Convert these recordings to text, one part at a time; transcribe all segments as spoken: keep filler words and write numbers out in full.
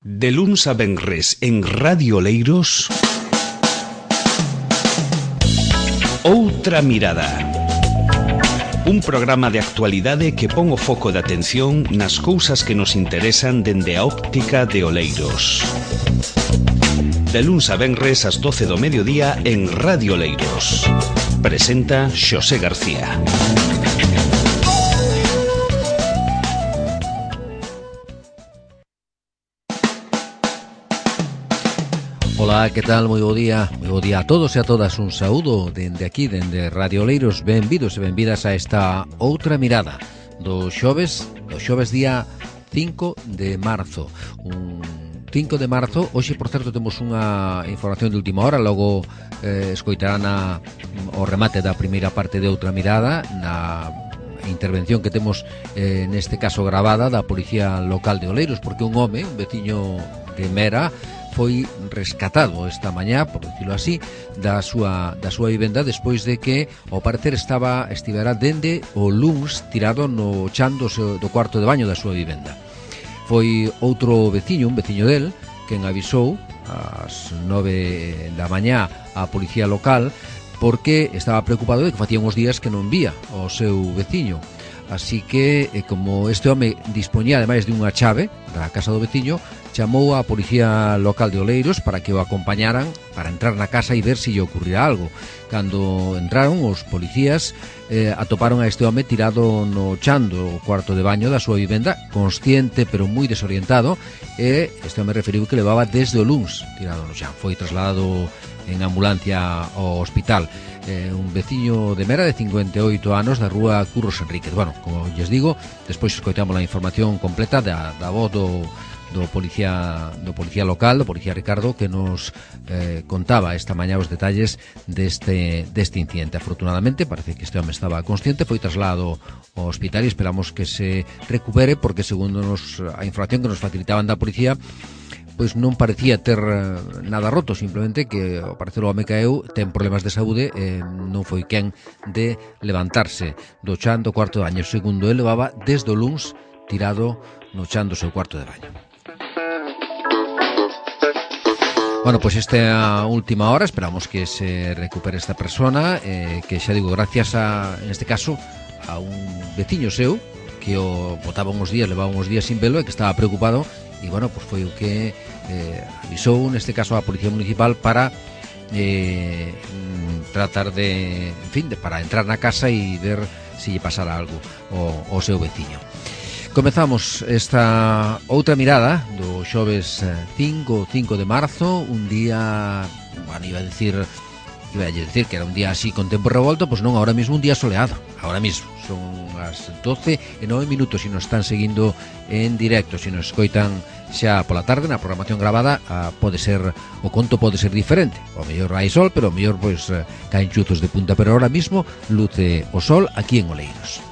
De luns a venres en Radio Oleiros, Outra Mirada. Un programa de actualidade que pon o foco de atención nas cousas que nos interesan dende a óptica de Oleiros. De luns a venres ás doce do mediodía en Radio Oleiros. Presenta Xosé García. Ola, que tal? Moi bo día, moi bo día a todos e a todas. Un saúdo dende aquí, dende Radio Oleiros. Benvidos e benvidas a esta Outra Mirada do xoves, do xoves día cinco de marzo. Un cinco de marzo, hoxe, por certo, temos unha información de última hora. Logo eh, escoitarán a, o remate da primeira parte de Outra Mirada na intervención que temos eh, neste caso gravada da Policía Local de Oleiros, porque un home, un veciño de Mera, foi rescatado esta mañá, por decirlo así, da súa da súa vivenda despois de que, ao parecer, estaba estivera dende o luns tirado no chan do, seu, do cuarto de baño da súa vivenda. Foi outro veciño, un veciño del, quen avisou ás nove da mañá á policía local porque estaba preocupado de que facía uns días que non vía o seu veciño. Así que, como este home dispoñía ademais de unha chave da casa do veciño, chamou á Policía Local de Oleiros para que o acompañaran para entrar na casa e ver se lle ocurrirá algo. Cando entraron, os policías eh, atoparon a este home tirado no chan do cuarto de baño da súa vivenda, consciente pero moi desorientado, e este home referiu que levaba desde o luns tirado no chan. Foi trasladado en ambulancia ao hospital. Eh, un veciño de Mera de cincuenta e oito anos da rúa Curros Enríquez. Bueno, como lles digo, despois escoitamos a información completa da, da voz do do policía do policía local, do policía Ricardo, que nos eh, contaba esta mañá os detalles deste deste incidente. Afortunadamente, parece que este home estaba consciente, foi trasladado ao hospital e esperamos que se recupere, porque segundo nos, a información que nos facilitaban da policía, pois non parecía ter nada roto, simplemente que ao parecer o home caeu, ten problemas de saúde e non foi quen de levantarse do chan do cuarto de baño. Segundo, ele levaba desde o luns tirado no chan do seu cuarto de baño. Bueno, pois pues esta última hora esperamos que se recupere esta persona, eh, que xa digo, gracias a, en este caso, a un veciño seu que o botaba uns días, levaba uns días sin velo e que estaba preocupado, e bueno, pois pues foi o que eh, avisou neste caso a Policía Municipal para eh, tratar de, en fin, de, para entrar na casa e ver se lle pasara algo ao, ao seu veciño. Comezamos esta outra mirada do xoves cinco de marzo, un día, bueno, iba a decir, iba a decir que era un día así con tempo revolto, pois non, ahora mismo un día soleado, ahora mismo, son as doce e nove minutos, se nos están seguindo en directo, se nos escoitan xa pola tarde na programación gravada, a, pode ser, o conto pode ser diferente, o mellor hai sol, pero o mellor pois caen chuzos de punta, pero ahora mismo luce o sol aquí en Oleiros.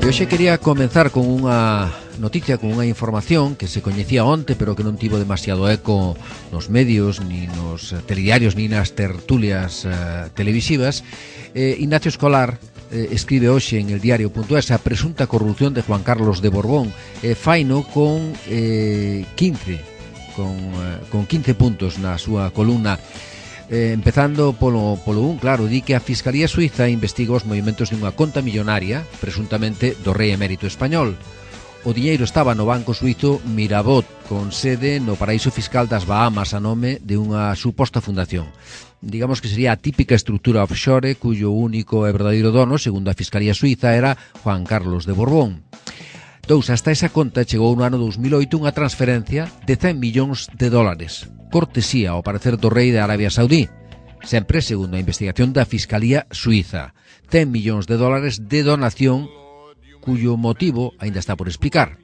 Hoxe quería comenzar con unha noticia, con unha información que se coñecía onte, pero que non tivo demasiado eco nos medios, ni nos telediarios, ni nas tertulias eh, televisivas. Eh, Ignacio Escolar eh, escribe hoxe en el diario punto es a presunta corrupción de Juan Carlos de Borbón. Eh, faino con eh, quince, con, eh, con quince puntos na súa columna. Eh, empezando polo, polo un, claro, di que a Fiscalía Suiza investiga os movimentos dunha conta millonaria, presuntamente do rei emérito español. O diñeiro estaba no banco suizo Mirabot, con sede no paraíso fiscal das Bahamas, a nome de unha suposta fundación. Digamos que sería a típica estrutura offshore cuyo único e verdadeiro dono, segundo a Fiscalía Suiza, era Juan Carlos de Borbón. Dous, hasta esa conta chegou no ano dos mil oito unha transferencia de cen millóns de dólares, cortesía ao parecer do rei de Arabia Saudí, sempre segundo a investigación da Fiscalía Suiza. cen millóns de dólares de donación cuyo motivo aínda está por explicar.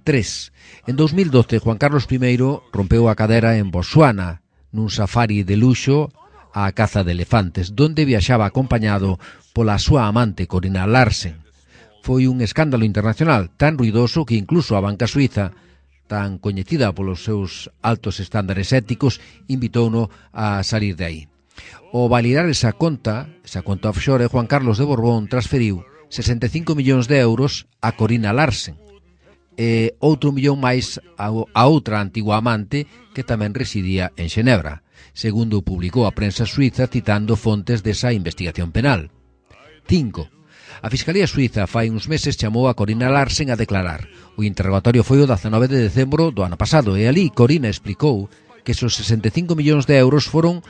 Tres, en dos mil doce Juan Carlos primeiro rompeu a cadera en Botsuana nun safari de luxo á caza de elefantes, donde viaxaba acompañado pola súa amante Corina Larsen. Foi un escándalo internacional tan ruidoso que incluso a banca suiza, tan coñecida polos seus altos estándares éticos, invitouno a salir de aí. O validar esa conta, esa conta offshore, Juan Carlos de Borbón transferiu sesenta e cinco millóns de euros a Corina Larsen, e outro millón máis a, a outra antigua amante que tamén residía en Xenebra, segundo publicou a prensa suiza citando fontes desa investigación penal. cinco. A Fiscalía Suiza fai uns meses chamou a Corina Larsen a declarar. O interrogatorio foi o dezanove de decembro do ano pasado e ali Corina explicou que esos sesenta e cinco millóns de euros foron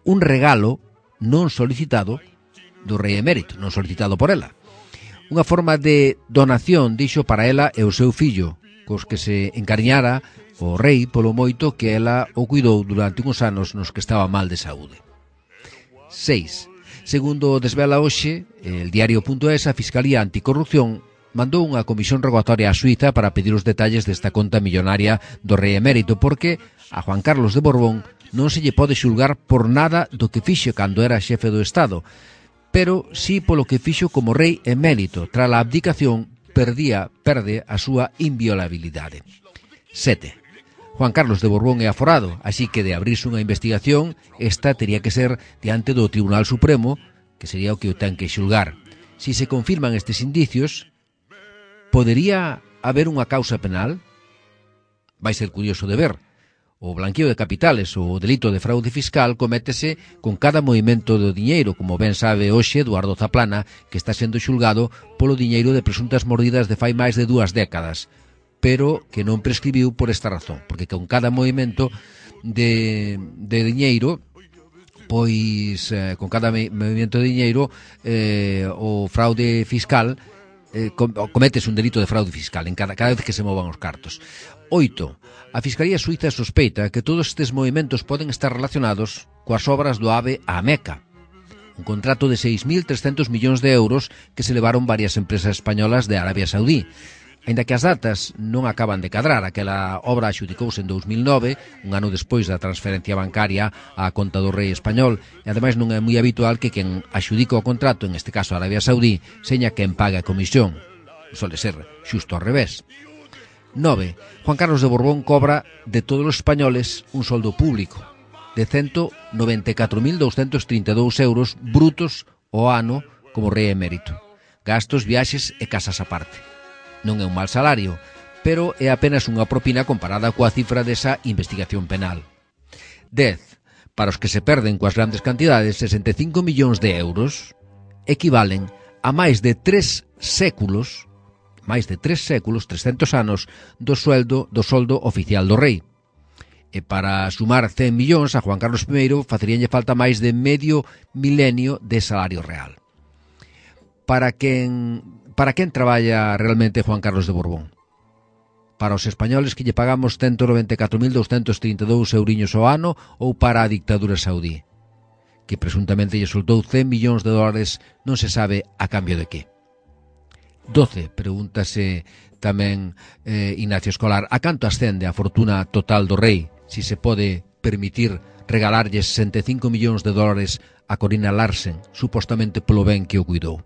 un regalo non solicitado do rei emérito, non solicitado por ela. Unha forma de donación, dixo, para ela e o seu fillo, cos que se encariñara o rei polo moito que ela o cuidou durante uns anos nos que estaba mal de saúde. seis. Segundo desvela hoxe, el diario.es, a Fiscalía Anticorrupción mandou unha comisión rogatoria a Suiza para pedir os detalles desta conta millonaria do rei emérito, porque a Juan Carlos de Borbón non se lle pode xulgar por nada do que fixo cando era xefe do Estado, pero sí polo que fixo como rei emérito. Tras a abdicación, perdía, perde a súa inviolabilidade. sete. Juan Carlos de Borbón é aforado, así que de abrirse unha investigación, esta teria que ser diante do Tribunal Supremo, que sería o que o ten que xulgar. Si se confirman estes indicios, podería haber unha causa penal? Vai ser curioso de ver. O blanqueo de capitales ou o delito de fraude fiscal cométese con cada movimento do diñeiro, como ben sabe hoxe Eduardo Zaplana, que está sendo xulgado polo diñeiro de presuntas mordidas de fai máis de dúas décadas, pero que non prescribiu por esta razón, porque con cada movimento de, de diñeiro, pois eh, con cada movimento de diñeiro, eh, o fraude fiscal, eh, cometes un delito de fraude fiscal en cada, cada vez que se movan os cartos. oito. A Fiscalía Suiza sospeita que todos estes movimentos poden estar relacionados coas obras do AVE á Meca, un contrato de seis mil trescentos millóns de euros que se levaron varias empresas españolas de Arabia Saudí. Ainda que as datas non acaban de cadrar, aquela obra axudicouse en dous mil nove, un ano despois da transferencia bancaria á conta do rei español, e ademais non é moi habitual que quen axudica o contrato, en este caso Arabia Saudí, seña quen paga a comisión. Sole ser xusto ao revés. nove. Juan Carlos de Borbón cobra de todos os españoles un soldo público de ciento noventa e catro mil douscentos trinta e dous euros brutos ao ano como rei emérito. Gastos, viaxes e casas aparte. Non é un mal salario, pero é apenas unha propina comparada coa cifra desa investigación penal. dez. Para os que se perden coas grandes cantidades, sesenta e cinco millóns de euros equivalen a máis de tres séculos, máis de tres séculos, trescentos anos, do sueldo do soldo oficial do rei. E para sumar cen millóns a Juan Carlos primeiro faceríanlle falta máis de medio milenio de salario real. Para quen, para quen traballa realmente Juan Carlos de Borbón? Para os españoles que lle pagamos ciento noventa e catro mil douscentos trinta e dous euriños ao ano ou para a dictadura saudí, que presuntamente lle soltou cen millóns de dólares, non se sabe a cambio de que. doce. Pregúntase tamén eh, Ignacio Escolar, a canto ascende a fortuna total do rei, si se pode permitir regalarlle sesenta e cinco millóns de dólares a Corina Larsen, supostamente polo ben que o cuidou.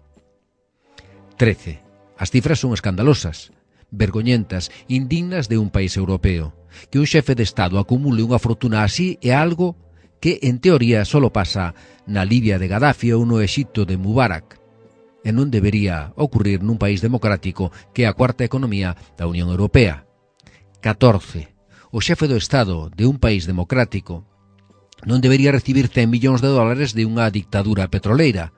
trece. As cifras son escandalosas, vergoñentas, indignas de un país europeo. Que un xefe de Estado acumule unha fortuna así é algo que, en teoría, solo pasa na Libia de Gaddafi ou no Exipto de Mubarak, e non debería ocurrir nun país democrático que é a cuarta economía da Unión Europea. catorce. O xefe do Estado de un país democrático non debería recibir cen millóns de dólares de unha dictadura petroleira.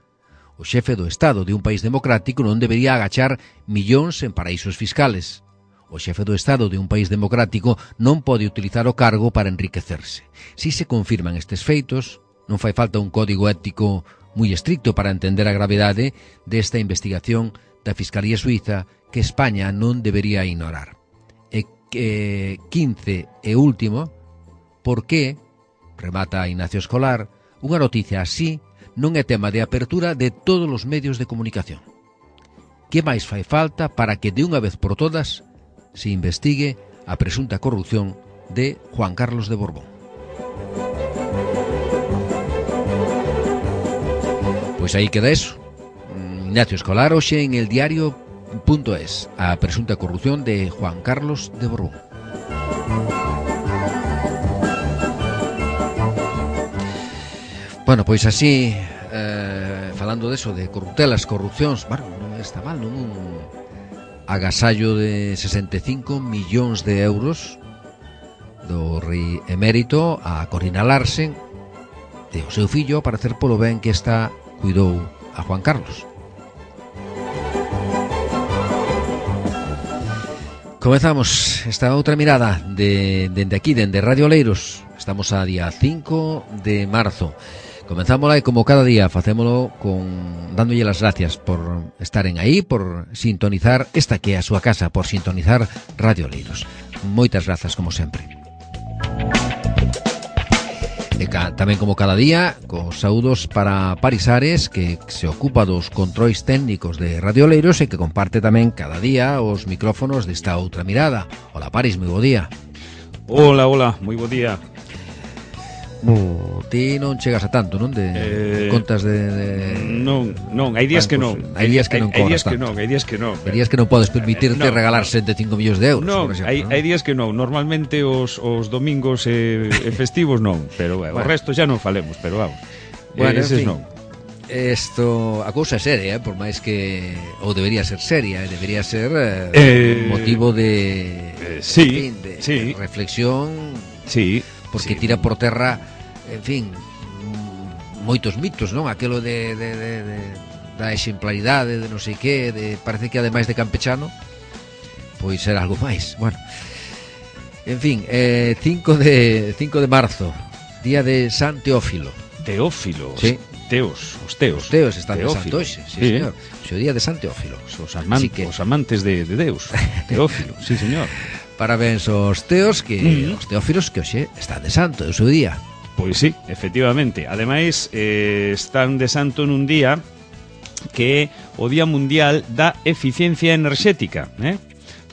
O xefe do Estado de un país democrático non debería agachar millóns en paraísos fiscales. O xefe do Estado de un país democrático non pode utilizar o cargo para enriquecerse. Si se confirman estes feitos, non fai falta un código ético moi estricto para entender a gravidade desta investigación da Fiscalía Suiza que España non debería ignorar. E que, quince e último, por que, remata Ignacio Escolar, unha noticia así non é tema de apertura de todos os medios de comunicación. Que máis fai falta para que de unha vez por todas se investigue a presunta corrupción de Juan Carlos de Borbón? Pois aí queda eso. Ignacio Escolar hoxe en el diario.es, a presunta corrupción de Juan Carlos de Borbón. Bueno, pois así, eh, falando deso de corruptelas, corrupcións, bueno, non está mal, non, agasallo de sesenta e cinco millóns de euros do rei emérito a Corina Larsen e o seu fillo para hacer polo ben que esta cuidou a Juan Carlos. Comezamos esta outra mirada de, dende aquí, dende Radio Oleiros. Estamos a día cinco de marzo. Comenzámosla e como cada día facémolo con dándolle las gracias por estaren aí, por sintonizar esta que é a súa casa, por sintonizar Radio Oleiros. Moitas grazas como sempre. E ca, tamén como cada día, cos saúdos para Paris Ares, que se ocupa dos controis técnicos de Radio Oleiros e que comparte tamén cada día os micrófonos desta outra mirada. Hola Paris, moi bo día. Hola, hola, moi bo día. Bo, ti non chegas a tanto, non? De eh, contas de, de... Non, non, hai días que non. Hai días que non hai, cobras tanto. Hai días que non, hai días que non. Hai días que non podes permitirte eh, no, regalar setenta e cinco millóns de euros, non, por exemplo. Hai, non, hai días que non. Normalmente os, os domingos e, e festivos non, pero bueno, o resto xa non falemos, pero vamos. Bueno, eh, eses en fin, non. Esto, a cousa é seria, eh, por máis que ou debería ser seria, eh, debería ser eh, eh, motivo de, eh, sí, en fin, de, sí. de reflexión, sí, porque sí. tira por terra, en fin, moitos mitos, non? Aquelo de, de, de, de da exemplaridade, de non sei que, de parece que ademais de campechano, pois ser algo máis. Bueno, en fin, eh, cinco de marzo, día de San Teófilo. Teófilo, sí. Teos, os teos. Os teos están Teófilo. de santo hoxe, sí, sí, señor. O día de San Teófilo. Os, amante, que... os amantes de, de Deus. Teófilo, sí, señor. Parabéns aos teos que mm-hmm. os teófilos que hoxe están de santo, é o seu día. Pois sí, efectivamente. Ademais, eh, están de santo nun día que é o Día Mundial da Eficiencia Enerxética, eh?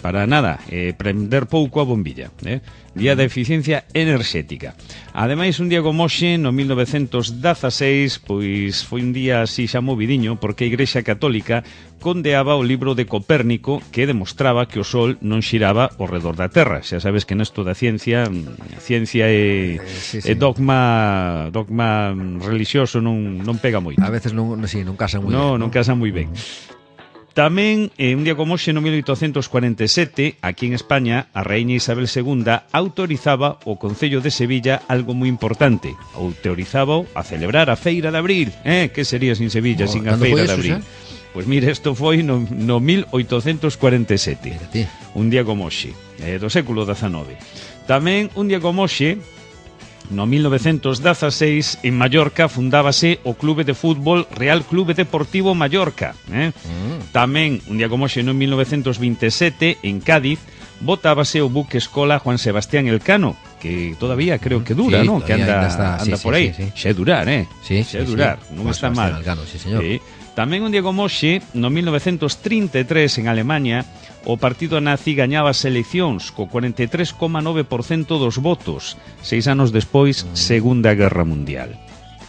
Para nada, eh, prender pouco a bombilla, eh? Día da Eficiencia Enerxética. Ademais, un día como hoxe, no mil novecentos dezaseis, pois foi un día así xa movidiño, porque a Igrexa Católica condeaba o libro de Copérnico que demostraba que o Sol non xiraba ao redor da Terra. Xa sabes que nesto da ciencia, ciencia e, eh, sí, sí. e dogma dogma religioso non, non pega moito. A veces non, sí, non casan moi no, ben. Non, non casan moi ben. Tamén, eh, un día como hoxe, no mil oitocentos cuarenta e sete, aquí en España, a raíña Isabel segunda autorizaba o Concello de Sevilla algo moi importante. Autorizaba a celebrar a Feira de Abril. Eh, que sería sin Sevilla, oh, sin a Feira de Abril? Pois pues mire, isto foi no, no mil oitocentos cuarenta e sete. Un día como hoxe, eh, do século dezanove. Tamén, un día como hoxe, no mil novecentos dezaseis, en Mallorca fundábase o Clube de Fútbol Real Clube Deportivo Mallorca. Eh? Mm. Tamén, un día como hoxe, no mil novecentos vinte e sete, en Cádiz, botábase o buque escola Juan Sebastián Elcano, que todavía creo que dura, sí, ¿no? Que anda, está, anda sí, por aí. Sí, sí. Xe durar, eh? Sí, Xe sí, durar, sí. non Juan está Sebastián mal. Elcano, sí, señor. Sí. Tamén un día como hoxe, no mil novecentos trinta e tres, en Alemania, o partido nazi gañaba as eleccións co cuarenta e tres coma nove por cento dos votos. Seis anos despois, mm. Segunda Guerra Mundial.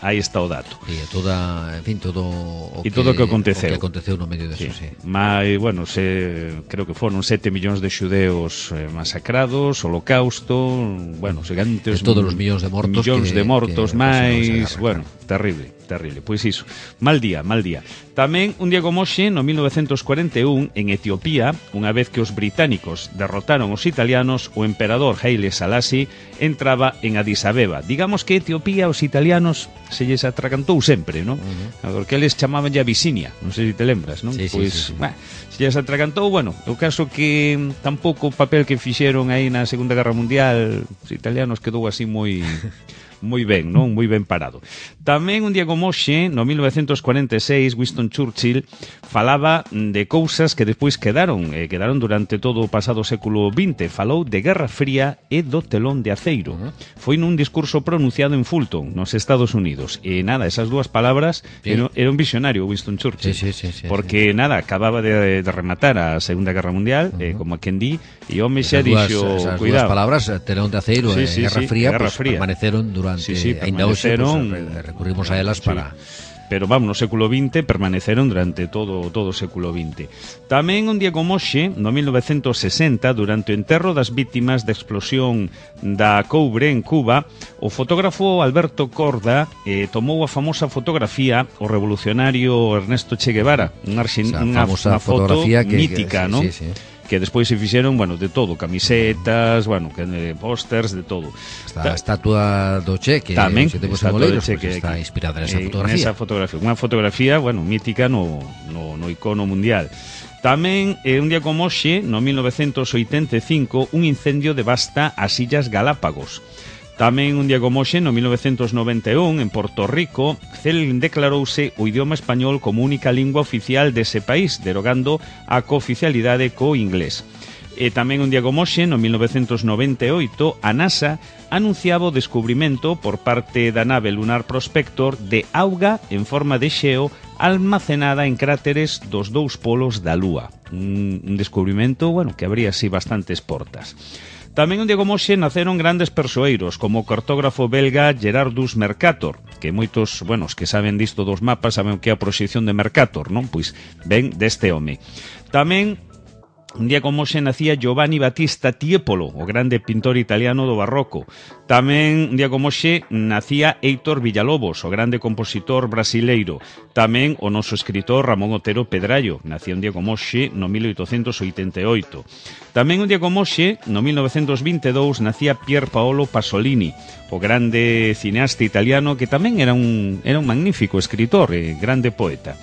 Aí está o dato. E toda, en fin, todo o que, todo o que aconteceu. O que aconteceu no medio deso, sí. sí. Mas, bueno, se, creo que foron sete millóns de xudeos eh, masacrados, holocausto, bueno, segantes... De todos os millóns de mortos. Millóns que, de mortos que máis, bueno, terrible, terrible. Pois iso, mal día, mal día. Tamén, un día como hoxe, no mil novecentos cuarenta e un, en Etiopía, unha vez que os británicos derrotaron os italianos, o emperador Haile Selassie entraba en Addis Abeba. Digamos que Etiopía, os italianos, se lles atragantou sempre, non? Uh-huh. Porque eles chamaban ya Abisinia, non sei se te lembras, non? Sí, pois, sí, sí, sí. Bah, se lles atragantou, bueno, o caso que tampouco o papel que fixeron aí na Segunda Guerra Mundial, os italianos quedou así moi... moi ben, non? Moi ben parado. Tamén un día como hoxe, no mil novecentos cuarenta e seis, Winston Churchill falaba de cousas que despois quedaron, eh, quedaron durante todo o pasado século vinte. Falou de Guerra Fría e do telón de aceiro. Uh-huh. Foi nun discurso pronunciado en Fulton, nos Estados Unidos. E nada, esas dúas palabras, sí. era, era un visionario Winston Churchill. Sí, sí, sí, sí, porque sí. nada, acababa de, de rematar a Segunda Guerra Mundial, uh-huh. eh, como a quen di, e home xa dixo, esas cuidado. Esas dúas palabras, telón de aceiro sí, e sí, Guerra sí, Fría, Guerra pues, Fría. permaneceron durante... Sí, sí, ainda hoxe, pues, recurrimos a elas para... Sí. pero vamos, no século vinte permaneceron durante todo todo o século vinte. Tamén un día como hoxe, no mil novecentos sesenta, durante o enterro das vítimas da explosión da Coure en Cuba, o fotógrafo Alberto Corda eh, tomou a famosa fotografía o revolucionario Ernesto Che Guevara, unha, unha, unha foto que, mítica, que, ¿no? Sí, sí. Que despois se fixeron, bueno, de todo, camisetas, bueno, que eh, pósters, de todo. Esta estatua do Che, que tamén, se temos en Moleiros, che, pues, que, está inspirada nesa eh, fotografía. Nesa fotografía, unha fotografía, bueno, mítica no, no, no icono mundial. Tamén, eh, un día como hoxe, no mil novecentos oitenta e cinco, un incendio devasta as Illas Galápagos. Tamén un día como hoxe, no mil novecentos noventa e un, en Porto Rico, Cel declarouse o idioma español como única lingua oficial dese país, derogando a cooficialidade co inglés. E tamén un día como hoxe, no mil novecentos noventa e oito, a NASA anunciaba o descubrimento por parte da nave Lunar Prospector de auga en forma de xeo almacenada en cráteres dos dous polos da Lúa. Un, un descubrimento, bueno, que abría así bastantes portas. Tamén un día como hoxe naceron grandes persoeiros, como o cartógrafo belga Gerardus Mercator, que moitos, bueno, os que saben disto dos mapas saben o que é a proxección de Mercator, non? Pois ven deste home. Tamén un día como hoxe nacía Giovanni Battista Tiepolo, o grande pintor italiano do barroco. Tamén un día como hoxe nacía Heitor Villalobos, o grande compositor brasileiro. Tamén o noso escritor Ramón Otero Pedrallo, nacía un día como hoxe no mil oitocentos oitenta e oito. Tamén un día como hoxe, no mil novecentos vinte e dous, nacía Pier Paolo Pasolini, o grande cineasta italiano que tamén era un, era un magnífico escritor e grande poeta.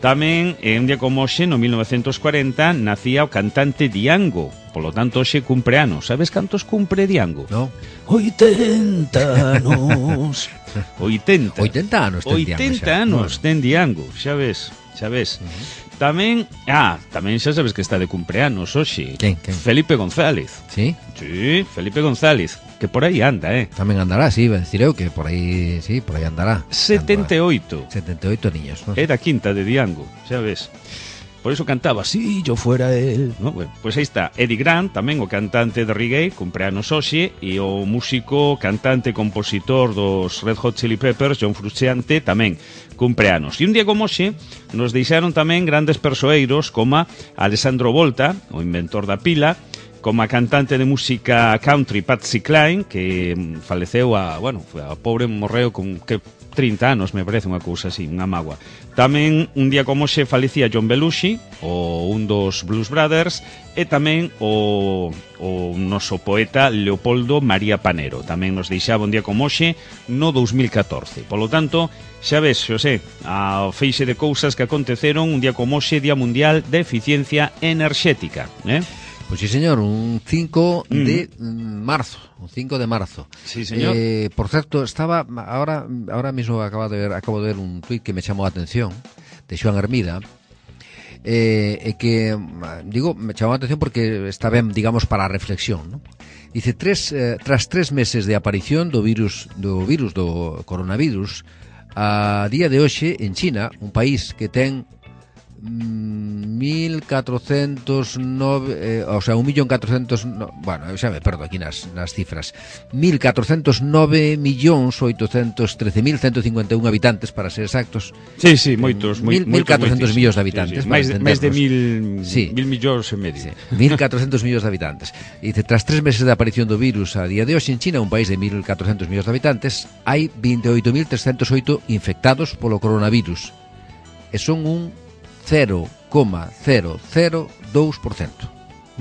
Tamén, en un día como hoxe, no mil novecentos cuarenta, nacía o cantante Diango. Polo tanto, hoxe cumpre anos. Sabes cantos cumpre Diango? No. oitenta anos. oitenta. oitenta anos ten Diango. oitenta anos ten Diango, xa ves, xa ves. Uh-huh. Tamén, ah, tamén xa sabes que está de cumpleanos hoxe. Quen, quen? Felipe González. Sí? Sí, Felipe González, que por aí anda, eh. Tamén andará, sí, ben decir eu que por aí, sí, por aí andará. setenta e oito. setenta e oito niños, ¿no? Era quinta de Diango, xa ves. Por eso cantaba, si yo fuera él, ¿no? Bueno, pues aí está Eddie Grant, tamén o cantante de reggae, cumpleanos hoxe, e o músico, cantante, compositor dos Red Hot Chili Peppers, John Frusciante, tamén cumpleanos. E un día como hoxe nos deixaron tamén grandes persoeiros como Alessandro Volta, o inventor da pila, como a cantante de música country Patsy Cline, que faleceu a, bueno, a pobre morreu con que trinta anos, me parece unha cousa así, unha mágoa. Tamén un día como hoxe falecía John Belushi, o un dos Blues Brothers, e tamén o, o noso poeta Leopoldo María Panero. Tamén nos deixaba un día como hoxe no dous mil catorce. Polo tanto, xa ves, Xosé, a feixe de cousas que aconteceron un día como hoxe, Día Mundial de Eficiencia Enerxética, eh? Pois sí, señor, un cinco de marzo, un cinco de marzo. Sí, señor. Eh, por certo, estaba ahora ahora mismo acabo de ver acabo de ver un tuit que me chamou a atención de Xoan Hermida. Eh, e que digo, me chamou a atención porque está ben, digamos, para a reflexión, ¿no? Dice, tres, eh, tras tres meses de aparición do virus do virus do coronavirus, a día de hoxe en China, un país que ten mil catrocentos nove, eh, o sea, un millón catrocentos, no, bueno, xa me perdo aquí nas, nas cifras, mil catrocentos nove millóns oitocentos trece mil ciento cincuenta e un habitantes, para ser exactos. Sí, sí, moitos, mil, moitos, mil catrocentos millóns de habitantes, sí, sí. máis, de, máis de mil, sí. mil millóns e medio. Sí, mil catrocentos millóns de habitantes. E dice, tras tres meses de aparición do virus a día de hoxe en China, un país de mil catrocentos millóns de habitantes, hai veintioito mil trescentos oito infectados polo coronavirus. E son un cero coma cero cero dous por cento.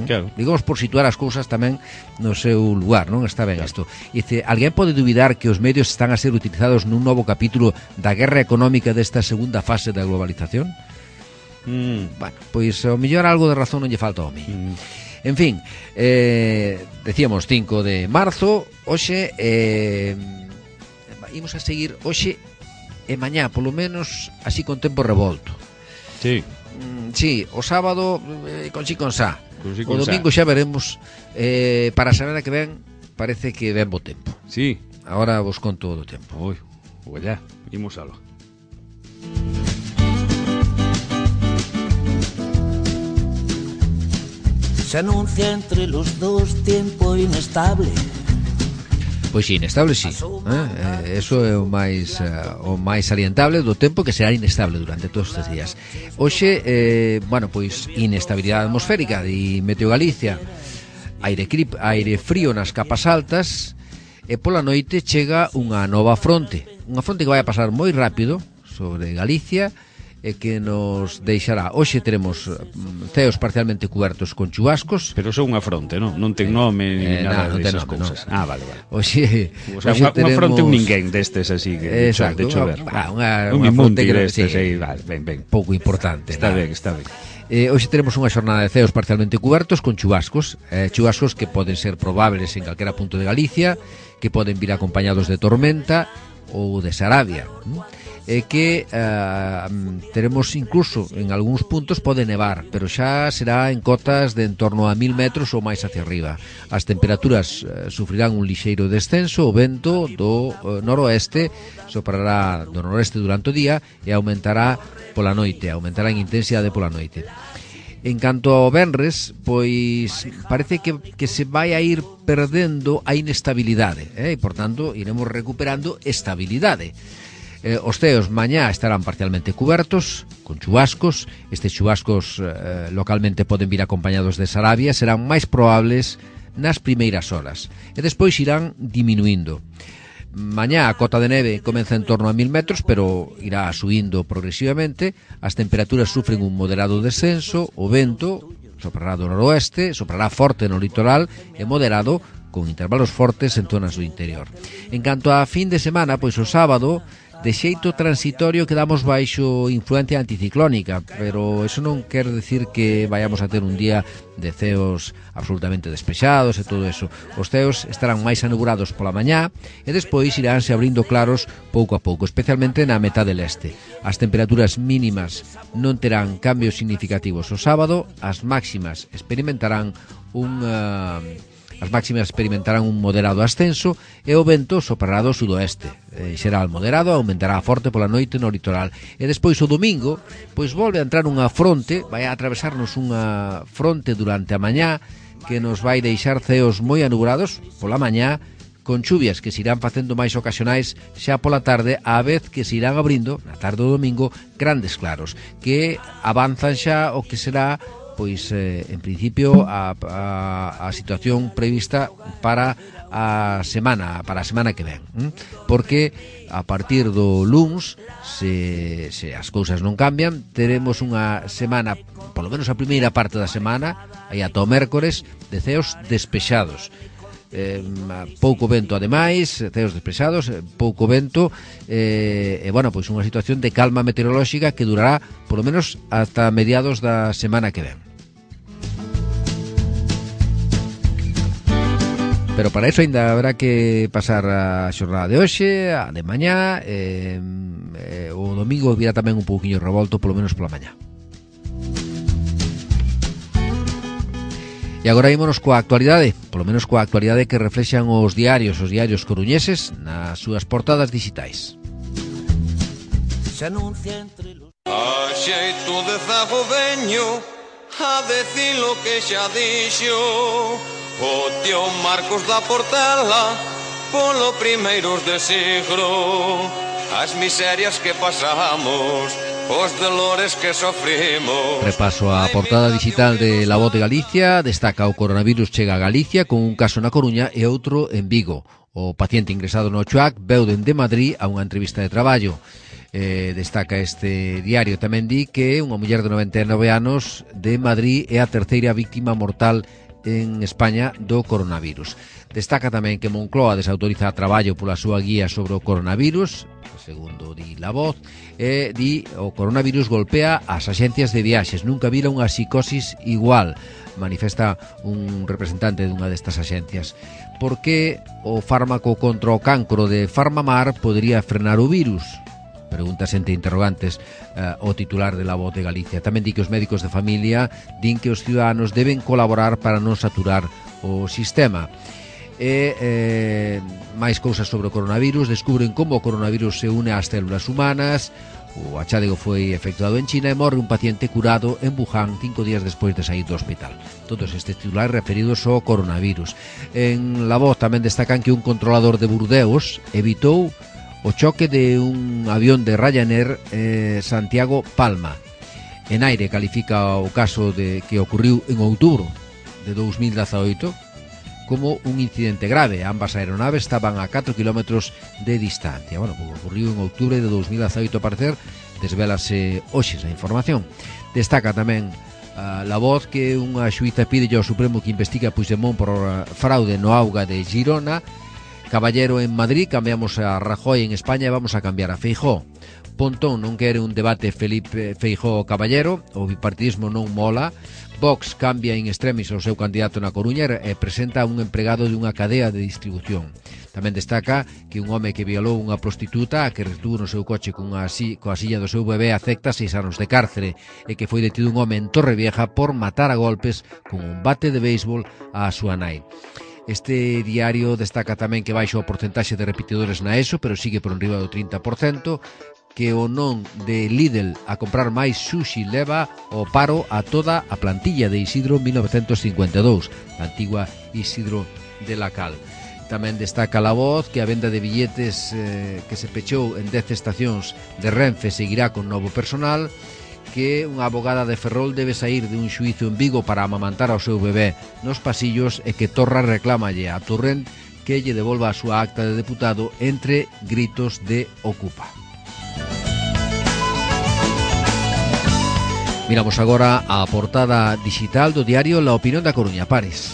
Claro. Digamos, por situar as cousas tamén no seu lugar, non? Está ben, claro. Isto. E dice, alguén pode dubidar que os medios están a ser utilizados nun novo capítulo da guerra económica desta segunda fase da globalización? Mm. Bueno, pois ao mellor algo de razón non lle falta ao mí. Mm. En fin, eh, decíamos cinco de marzo, hoxe eh, imos a seguir hoxe e mañá, polo menos así con tempo revolto. Sí. Mm, sí, o sábado eh, con chi con sa. Con si o con domingo sa. xa veremos. eh, Para a semana que ven parece que ven bo tempo. Sí. Agora vos conto do tempo. Ui, pues ya, imos algo. Se anuncia entre los dos tiempo inestable. Pois sí, inestable sí, eh? Eso é o máis uh, o máis salientable do tempo, que será inestable durante todos estes días. Hoxe, eh, bueno, pois inestabilidade atmosférica de Meteo Galicia, aire, crip, aire frío nas capas altas, e pola noite chega unha nova fronte, unha fronte que vai a pasar moi rápido sobre Galicia, e que nos deixará. Hoxe teremos ceos parcialmente cubertos con chubascos. Pero son unha fronte, non? Non ten nome eh, ni nada no, non desas nome, cousas. No. Ah, vale, vale. Hoxe, o sea, hoxe unha, teremos... unha fronte un ninguén destes así que exacto, de chover. Unha, unha, un unha fronte que destes, sí, aí, vale, ben, ben. Pouco importante. Está nada. ben, está ben. Eh, hoxe teremos unha xornada de ceos parcialmente cubertos con chubascos, eh, chubascos que poden ser probables en calquera punto de Galicia, que poden vir acompañados de tormenta ou de sarabia, e que eh, teremos incluso en algúns puntos pode nevar, pero xa será en cotas de en torno a mil metros ou máis hacia arriba. As temperaturas eh, sufrirán un lixeiro descenso, o vento do eh, noroeste soprará do noroeste durante o día e aumentará pola noite, aumentará en intensidade pola noite. En canto ao venres, pois parece que, que se vai a ir perdendo a inestabilidade, eh? E, por tanto, iremos recuperando estabilidade. Eh, os ceos mañá estarán parcialmente cubertos con chubascos. Estes chubascos eh, localmente poden vir acompañados de sarabia, serán máis probables nas primeiras horas e despois irán diminuindo. Mañá a cota de neve comeza en torno a mil metros, pero irá subindo progresivamente. As temperaturas sufren un moderado descenso, o vento soprará do noroeste, soprará forte no litoral e moderado con intervalos fortes en zonas do interior. En canto a fin de semana, pois o sábado de xeito transitorio quedamos baixo influencia anticiclónica, pero eso non quer decir que vayamos a ter un día de ceos absolutamente despexados e todo eso. Os ceos estarán máis anubulados pola mañá e despois iránse abrindo claros pouco a pouco, especialmente na metade leste. As temperaturas mínimas non terán cambios significativos o sábado, as máximas experimentarán un... Uh, As máximas experimentarán un moderado ascenso e o vento soprará do sudoeste. E será moderado, aumentará forte pola noite no litoral. E despois o domingo, pois volve a entrar unha fronte, vai a atravesarnos unha fronte durante a mañá que nos vai deixar ceos moi anubulados pola mañá, con chuvias que se irán facendo máis ocasionais xa pola tarde, á vez que se irán abrindo, na tarde do domingo, grandes claros, que avanzan xa o que será pois eh, en principio a, a, a situación prevista para a semana para a semana que ven, ¿eh? Porque a partir do luns, se, se as cousas non cambian, teremos unha semana, polo menos a primeira parte da semana, aí ata o mércores, de ceos despexados. Eh, pouco vento ademais, ceos despexados, pouco vento eh, e bueno, pois unha situación de calma meteorolóxica que durará polo menos ata mediados da semana que ven. Pero para eso ainda habrá que pasar a xornada de hoxe, a de mañá, eh, eh, o domingo virá tamén un pouquiño revolto, polo menos pola mañá. E agora ímonos coa actualidade, polo menos coa actualidade que reflexan os diarios, os diarios coruñeses nas súas portadas digitais. A xeito de zago veño a decir lo que xa dixo o tío Marcos da Portela polo primeiros de siglo, as miserias que pasamos, os dolores que sofrimos. Repaso a portada digital de La Voz de Galicia. Destaca: o coronavirus chega a Galicia con un caso na Coruña e outro en Vigo. O paciente ingresado no Chuac veu dende Madrid a unha entrevista de traballo. Eh, destaca este diario tamén di que unha muller de noventa e nove anos de Madrid é a terceira víctima mortal en España do coronavirus. Destaca tamén que Moncloa desautoriza a traballo pola súa guía sobre o coronavirus, segundo di La Voz, e di o coronavirus golpea as axencias de viaxes, nunca vira unha psicosis igual, manifesta un representante dunha destas axencias. Por que o fármaco contra o cancro de Farmamar podería frenar o virus? Preguntas entre interrogantes uh, o titular de La Voz de Galicia. Tamén di que os médicos de familia din que os ciudadanos deben colaborar para non saturar o sistema. E eh, máis cousas sobre o coronavirus. Descubren como o coronavirus se une ás células humanas. O achádego foi efectuado en China e morre un paciente curado en Wuhan cinco días despois de sair do hospital. Todos estes titulares referidos ao coronavirus. En La Voz tamén destacan que un controlador de Burdeos evitou o choque de un avión de Ryanair eh, Santiago Palma. En Aire califica o caso de que ocurriu en outubro de dous mil dezaoito como un incidente grave. Ambas aeronaves estaban a catro kilómetros de distancia. Bueno, pues ocurriu en outubro de dous mil dezaoito, a parecer, desvelase hoxe esa información. Destaca tamén uh, La Voz que unha xuíza pide ao Supremo que investigue a Puigdemont por uh, fraude no auga de Girona. Caballero en Madrid, cambiamos a Rajoy en España e vamos a cambiar a Feijóo. Pontón non quere un debate Felipe Feijóo Caballero, o bipartidismo non mola. Vox cambia in extremis o seu candidato na Coruña e presenta un empregado de unha cadea de distribución. Tamén destaca que un home que violou unha prostituta a que retuvo no seu coche cunha si, coa silla do seu bebé acepta seis anos de cárcere e que foi detido un home en Torrevieja por matar a golpes con un bate de béisbol á súa nai. Este diario destaca tamén que baixa o porcentaxe de repetidores na ESO, pero sigue por enriba do trinta por cento, que o non de Lidl a comprar máis sushi leva o paro a toda a plantilla de Isidro mil novecentos cincuenta e dous, a antigua Isidro de la Cal. Tamén destaca La Voz que a venda de billetes eh, que se pechou en dez estacións de Renfe seguirá con novo personal, que unha abogada de Ferrol debe sair de un xuízo en Vigo para amamantar ao seu bebé nos pasillos e que Torra reclámalle a Torrent que lle devolva a súa acta de deputado entre gritos de Ocupa. Miramos agora a portada digital do diario La Opinión da Coruña. Pares.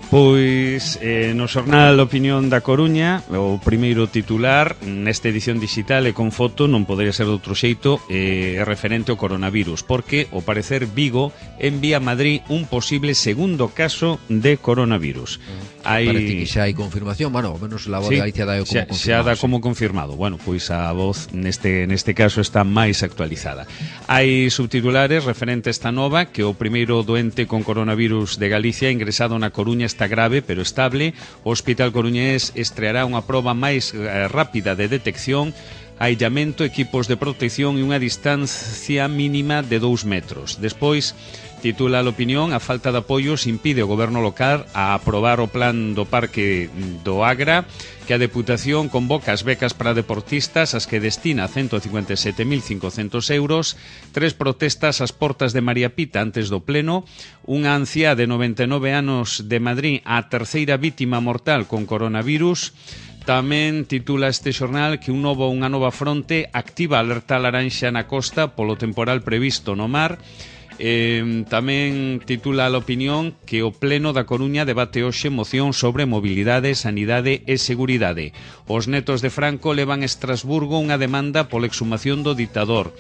Pois eh, no xornal Opinión da Coruña, o primeiro titular nesta edición digital e con foto, non podería ser de outro xeito, é eh, referente ao coronavirus, porque, ao parecer, Vigo envía a Madrid un posible segundo caso de coronavirus. Mm. Hai... Parece que xa hai confirmación, bueno, ao menos La Voz sí, de Galicia dá como xa, confirmado. Xa dá sí. como confirmado. Bueno, pois a Voz neste, neste caso está máis actualizada. Hai subtitulares referente a esta nova, que o primeiro doente con coronavirus de Galicia ingresado na Coruña está grave pero estable. O Hospital Coruñés estreará unha proba máis eh, rápida de detección, aillamento, equipos de protección e unha distancia mínima de dous metros. Despois, titula a Opinión, a falta de apoios impide ao goberno local a aprobar o plan do Parque do Agra, que a Deputación convoca as becas para deportistas, as que destina ciento cincuenta e sete mil cincocentos euros, tres protestas ás portas de María Pita antes do pleno, unha anciá de noventa e nove anos de Madrid, a terceira vítima mortal con coronavirus. Tamén titula este xornal que un novo, unha nova fronte activa alerta laranxa na costa polo temporal previsto no mar. Eh, tamén titula a Opinión que o Pleno da Coruña debate hoxe moción sobre mobilidade, sanidade e seguridade. Os netos de Franco levan a Estrasburgo unha demanda pola exhumación do ditador.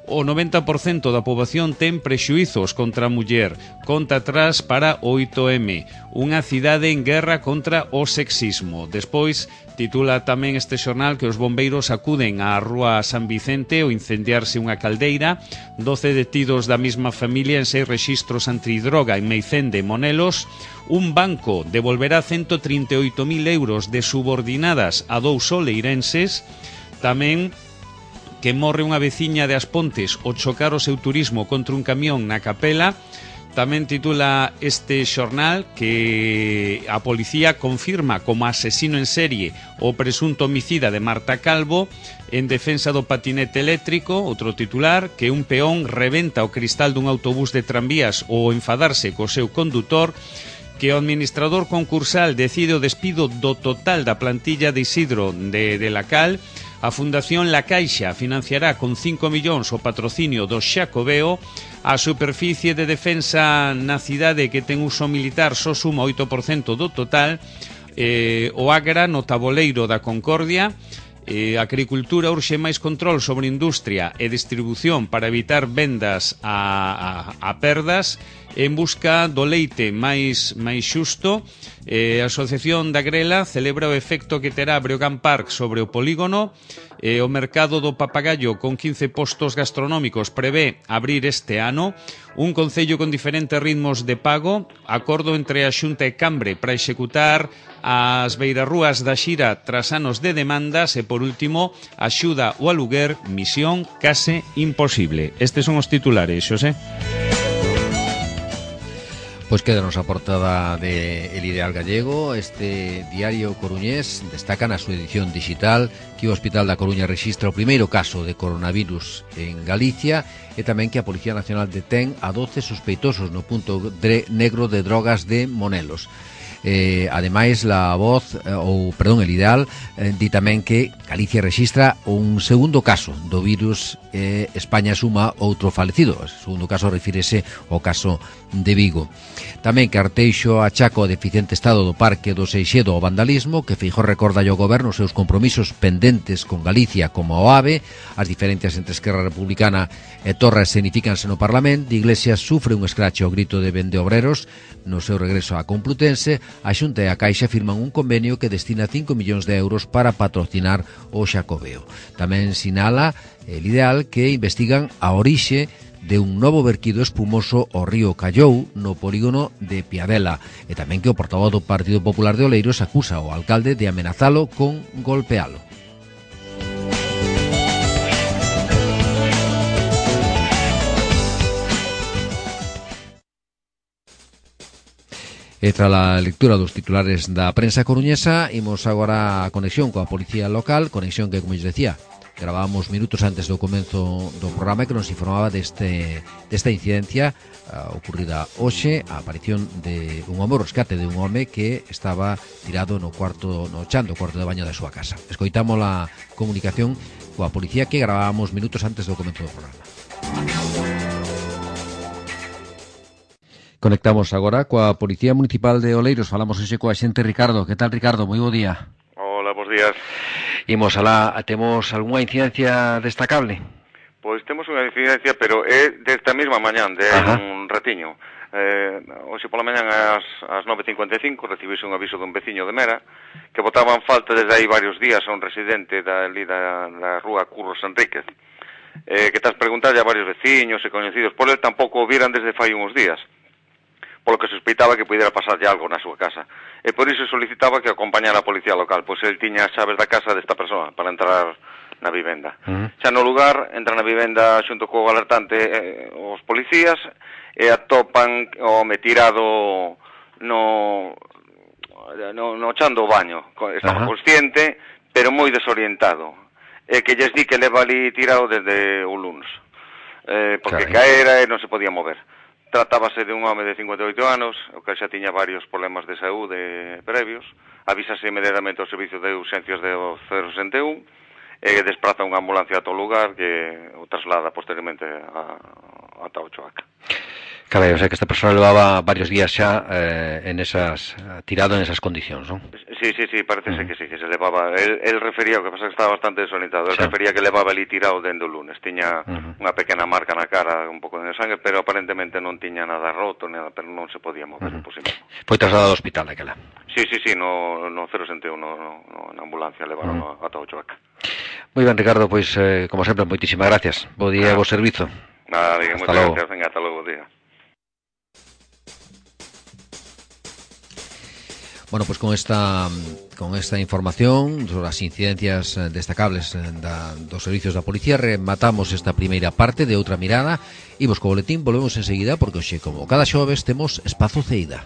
O noventa por cento da poboación ten prexuizos contra a muller. Conta atrás para o oito eme. Unha cidade en guerra contra o sexismo. Despois, titula tamén este xornal que os bombeiros acuden á rúa San Vicente ao incendiarse unha caldeira. doce detidos da mesma familia en seis rexistros antidroga en Meicende e Monelos. Un banco devolverá ciento trinta e oito mil euros de subordinadas a dous oleirenses. Tamén que morre unha veciña de As Pontes ao chocar o seu turismo contra un camión na Capela. Tamén titula este xornal que a policía confirma como asesino en serie o presunto homicida de Marta Calvo. En defensa do patinete eléctrico, outro titular, que un peón rebenta o cristal dun autobús de tranvías ao enfadarse co seu condutor. Que o administrador concursal decide o despido do total da plantilla de Isidro de, de la Cal. A Fundación La Caixa financiará con cinco millóns o patrocinio do Xacobeo. A superficie de defensa na cidade que ten uso militar só suma oito por cento do total. Eh, o Agra no taboleiro da Concordia. Eh, a agricultura urxe máis control sobre industria e distribución para evitar vendas a, a, a perdas. En busca do leite máis, máis xusto, eh, a Asociación da Grela celebra o efecto que terá Breogán Park sobre o polígono. E o mercado do Papagayo, con quince postos gastronómicos, prevé abrir este ano. Un concello con diferentes ritmos de pago, acordo entre a Xunta e Cambre para executar as beirarrúas da xira tras anos de demandas e, por último, axuda o aluguer, misión case imposible. Estes son os titulares, Xosé. Pois quédanos a portada de El Ideal Gallego. Este diario coruñés destaca na súa edición digital que o Hospital da Coruña rexistra o primeiro caso de coronavirus en Galicia e tamén que a Policía Nacional detén a doce sospeitosos no punto negro de drogas de Monelos. Eh, ademais, la voz, eh, ou, perdón, El Ideal, eh, di tamén que Galicia rexistra un segundo caso do virus e eh, España suma outro falecido. O segundo caso refírese ao caso de Vigo. Tamén que Arteixo achaca o deficiente estado do Parque do Seixedo ao vandalismo, que Feijóo recorda ao goberno os seus compromisos pendentes con Galicia como o AVE, as diferencias entre Esquerra Republicana e Torra escenifícanse no Parlamento, Iglesias sufre un escrache ao grito de vendeobreros no seu regreso á Complutense. A Xunta e a Caixa firman un convenio que destina cinco millóns de euros para patrocinar o Xacobeo. Tamén sinala El Ideal que investigan a orixe de un novo verquido espumoso ao río Callou no polígono de Piadela e tamén que o portavoz do Partido Popular de Oleiros acusa ao alcalde de amenazalo con golpealo. E tras a lectura dos titulares da prensa coruñesa, imos agora a conexión coa Policía Local, conexión que, como lles decía, gravábamos minutos antes do comenzo do programa, que nos informaba deste, desta incidencia uh, ocurrida hoxe, a aparición de un home, o rescate de un home que estaba tirado no cuarto, no chan do cuarto de baño da súa casa. Escoitamos a comunicación coa policía que gravábamos minutos antes do comenzo do programa. Conectamos agora coa Policía Municipal de Oleiros. Falamos hoxe coa xente Ricardo. Que tal, Ricardo? Moi bo día. Hola, bons días. Imos alá, temos algunha incidencia destacable? Pois temos unha incidencia, pero é desta mesma mañán, de Ajá. un ratiño. Eh, hoxe pola mañán ás, ás nove e cincuenta e cinco recibiuse un aviso dun veciño de Mera que botaban falta desde aí varios días a un residente da, ali da, da rúa Curros Enríquez. Eh, que tas preguntarlle a varios veciños e coñecidos por el, tampouco o viran desde fai uns días, polo que sospeitaba que pudiera pasarlle algo na súa casa. E por iso solicitaba que acompañara a policía local, pois el tiña as chaves da casa desta persoa para entrar na vivenda. Uh-huh. Xa no lugar, entra na vivenda xunto co alertante eh, os policías e atopan o home tirado no, no, no chan do baño. Estaba uh-huh. consciente, pero moi desorientado. E que lles di que leva ali tirado desde o lunes. Eh, porque Carai. caera e non se podía mover. Tratábase de un home de cincuenta e oito anos, o que xa tiña varios problemas de saúde previos. Avísase inmediatamente ao servicio de urxencias do cero sesenta e un e despraza unha ambulancia a todo lugar que o traslada posteriormente a, a Taochoaca. Cabe, o sea que esta persona levaba varios días xa eh, en esas, tirado en esas condicións, non? Sí, sí, sí, parece uh-huh. que sí, que se levaba. El, el refería, o que pasa que estaba bastante desorientado, el sí. refería que levaba ali tirado dende o lunes. Tiña uh-huh. unha pequena marca na cara, un pouco de sangue, pero aparentemente non tiña nada roto, nada, pero non se podía mover, uh-huh. posible. Foi trasladado ao hospital daquela? Sí, sí, sí, no, no cero sesenta e un, no, no, na ambulancia, levaron uh-huh. a, a Taochoaca. Moi ben, Ricardo, pois, eh, como sempre, moitísimas gracias. Bo día e bo servizo. Nada, diga, moitas gracias, venga, hasta logo, día. Bueno, pues con esta con esta información sobre as incidencias destacables da, dos servicios da policía rematamos esta primeira parte de Outra Mirada e vos co boletín volvemos enseguida porque hoxe, como cada xoves, temos Espazo Ceida.